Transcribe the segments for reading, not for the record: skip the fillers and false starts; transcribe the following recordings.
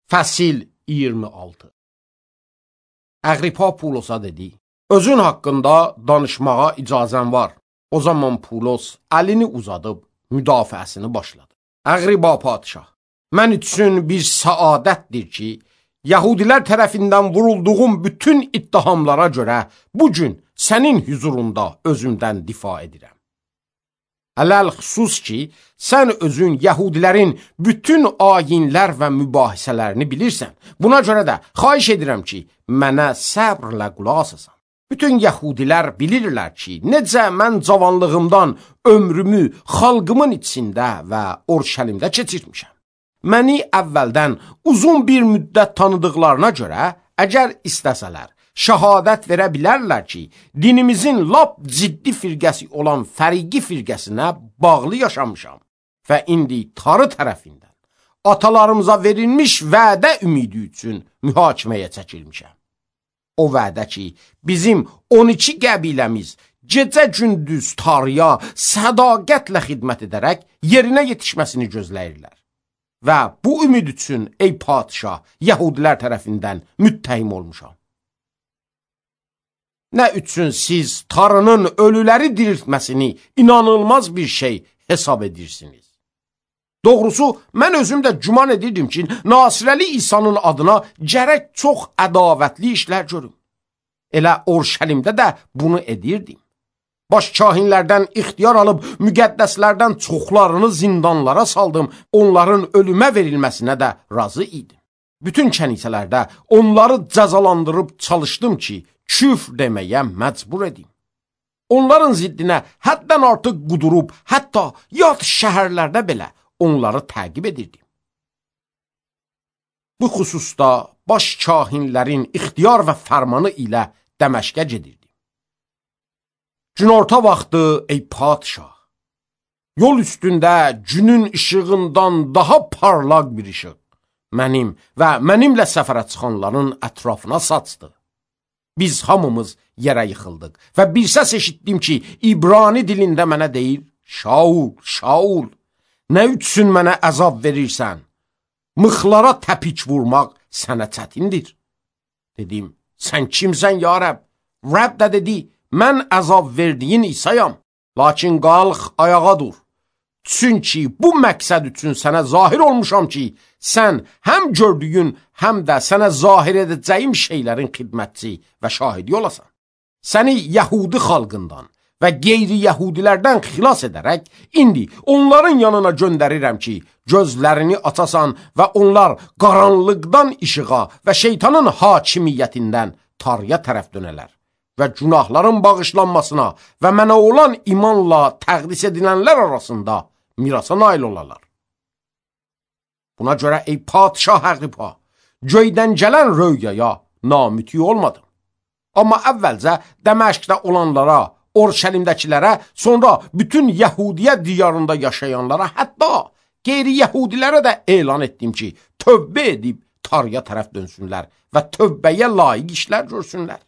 Fəsil 26. Əqripa Pulosa dedi, özün haqqında danışmağa icazən var. O zaman Pulos əlini uzadıb müdafiəsini başladı. Əqripa padişah, mən üçün bir səadətdir ki, Yahudilər tərəfindən vurulduğum bütün ittihamlara görə bugün sənin huzurunda özümdən difa edirəm. Ələl xüsus ki, sən özün Yahudilərin bütün ayinlər və mübahisələrini bilirsən. Buna görə də xahiş edirəm ki, mənə səbrlə qulaq asasan. Bütün Yahudilər bilirlər ki, necə mən cavanlığımdan ömrümü xalqımın içində və Orşəlimdə keçirmişəm. Məni əvvəldən uzun bir müddət tanıdıqlarına görə, əgər istəsələr, şəhadət verə bilərlər ki, dinimizin lap ciddi firqəsi olan fəriqi firqəsinə bağlı yaşamışam və indi tarı tərəfindən atalarımıza verilmiş vədə ümidi üçün mühakiməyə çəkilmişəm. O vədə ki, bizim 12 qəbiləmiz gecə-gündüz tarıya sədaqətlə xidmət edərək yerinə yetişməsini gözləyirlər. Və bu ümid üçün, ey padişah, Yahudilər tərəfindən müttəhim olmuşam. Nə üçün siz tarının ölüləri diriltməsini inanılmaz bir şey hesab edirsiniz? Doğrusu, mən özüm də güman edirdim ki, Nasirəli İsa'nın adına gərək çox ədavətli işlər görüm. Elə Orşəlimdə də bunu edirdim. Baş kahinlərdən ixtiyar alıb müqəddəslərdən çoxlarını zindanlara saldım, onların ölümə verilməsinə də razı idim. Bütün kənisələrdə onları cəzalandırıb çalışdım ki, küfr deməyə məcbur edim. Onların ziddinə həddən artıq qudurub, hətta yad şəhərlərdə belə onları təqib edirdim. Bu xüsusda baş kahinlərin ixtiyar və fərmanı ilə Dəməşqə gedirdim. Günorta vaxtı, ey padişah, yol üstündə günün işığından daha parlaq bir işıq mənim və mənimlə səfərə çıxanların ətrafına saçdı. Biz hamımız yerə yıxıldıq və bir səs eşitdim ki, İbrani dilində mənə deyir, Şaul, Şaul, nə üçün mənə əzab verirsən? Mıxlara təpik vurmaq sənə çətindir. Dedim, sən kimsən ya Rəbb? Rəbb də dedi, mən əzab verdiyin İsa'yam, lakin qalx ayağa dur. Çünki bu məqsəd üçün sənə zahir olmuşam ki, sən həm gördüyün, həm də sənə zahir edəcəyim şeylərin xidmətçi və şahidi olasan. Səni Yahudi xalqından və qeyri-Yahudilərdən xilas edərək, indi onların yanına göndərirəm ki, gözlərini açasan və onlar qaranlıqdan işığa və şeytanın hakimiyyətindən tarıya tərəf dönələr və günahların bağışlanmasına və mənə olan imanla təqdis edilənlər arasında mirasa nail olarlar. Buna görə ey padişah Əqripa, göydən gələn röyaya namütü olmadım. Amma əvvəlcə Dəməşqdə olanlara, Orşəlimdəkilərə, sonra bütün Yahudiyə diyarında yaşayanlara, hətta qeyri-Yahudilərə də elan etdim ki, tövbə edib tarıya tərəf dönsünlər və tövbəyə layiq işlər görsünlər.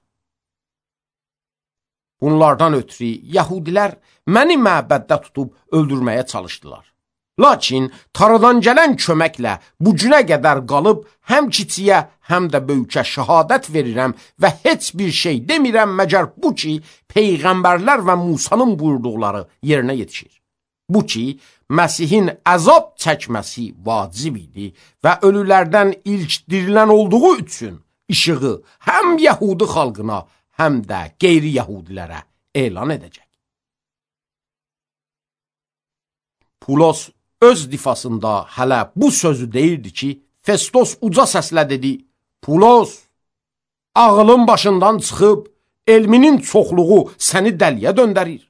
Bunlardan ötürü Yahudilər məni məbəddə tutub öldürməyə çalışdılar. Lakin tarıdan gələn köməklə bu günə qədər qalıb həm kiçiyə, həm də böyükə şəhadət verirəm və heç bir şey demirəm məgər bu ki, peyğəmbərlər və Musanın buyurduqları yerinə yetişir. Bu ki, Məsihin əzab çəkməsi vacib idi və ölülərdən ilk dirilən olduğu üçün işığı həm Yahudi xalqına, həm də qeyri-Yahudilərə elan edəcək. Pulos öz difasında hələ bu sözü deyirdi ki, Festos uca səslə dedi, Pulos, ağılın başından çıxıb, elminin çoxluğu səni dəliyə döndərir.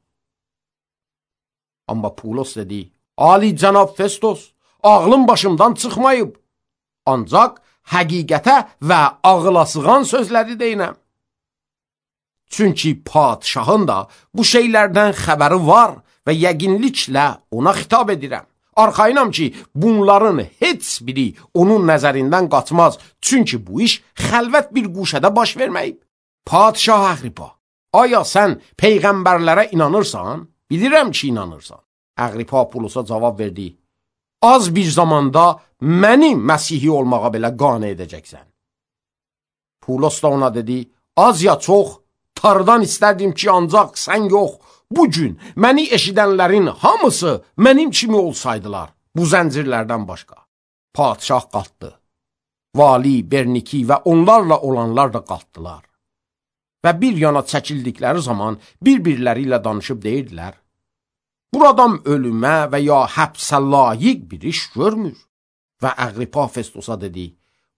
Amma Pulos dedi, Ali cənab Festos, ağlım başımdan çıxmayıb, ancaq həqiqətə və ağıla sığan sözləri deyinəm. Çünki padişahın da bu şeylərdən xəbəri var və yəqinliklə ona xitab edirəm. Arxayınam ki, bunların heç biri onun nəzərindən qaçmaz, çünki bu iş xəlvət bir quşədə baş verməyib. Padişah Əqripa, aya sən peyğəmbərlərə inanırsan? Bilirəm ki, inanırsan. Əqripa Pulosa cavab verdi, az bir zamanda məni Məsihi olmağa belə qane edəcəksən. Pulos da ona dedi, az ya çox, Tanrıdan istərdim ki, ancaq sən yox, bugün məni eşidənlərin hamısı mənim kimi olsaydılar, bu zəncirlərdən başqa. Padişah qalxdı. Vali, Berniki və onlarla olanlar da qalxdılar. Və bir yana çəkildikləri zaman bir-birləri ilə danışıb deyirdilər, buradan ölümə və ya həbsə layiq bir iş görmür. Və Aqripa Festosa dedi,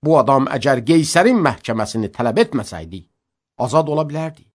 bu adam əgər Qeysərin məhkəməsini tələb etməsəydi, azad ola bilərdi.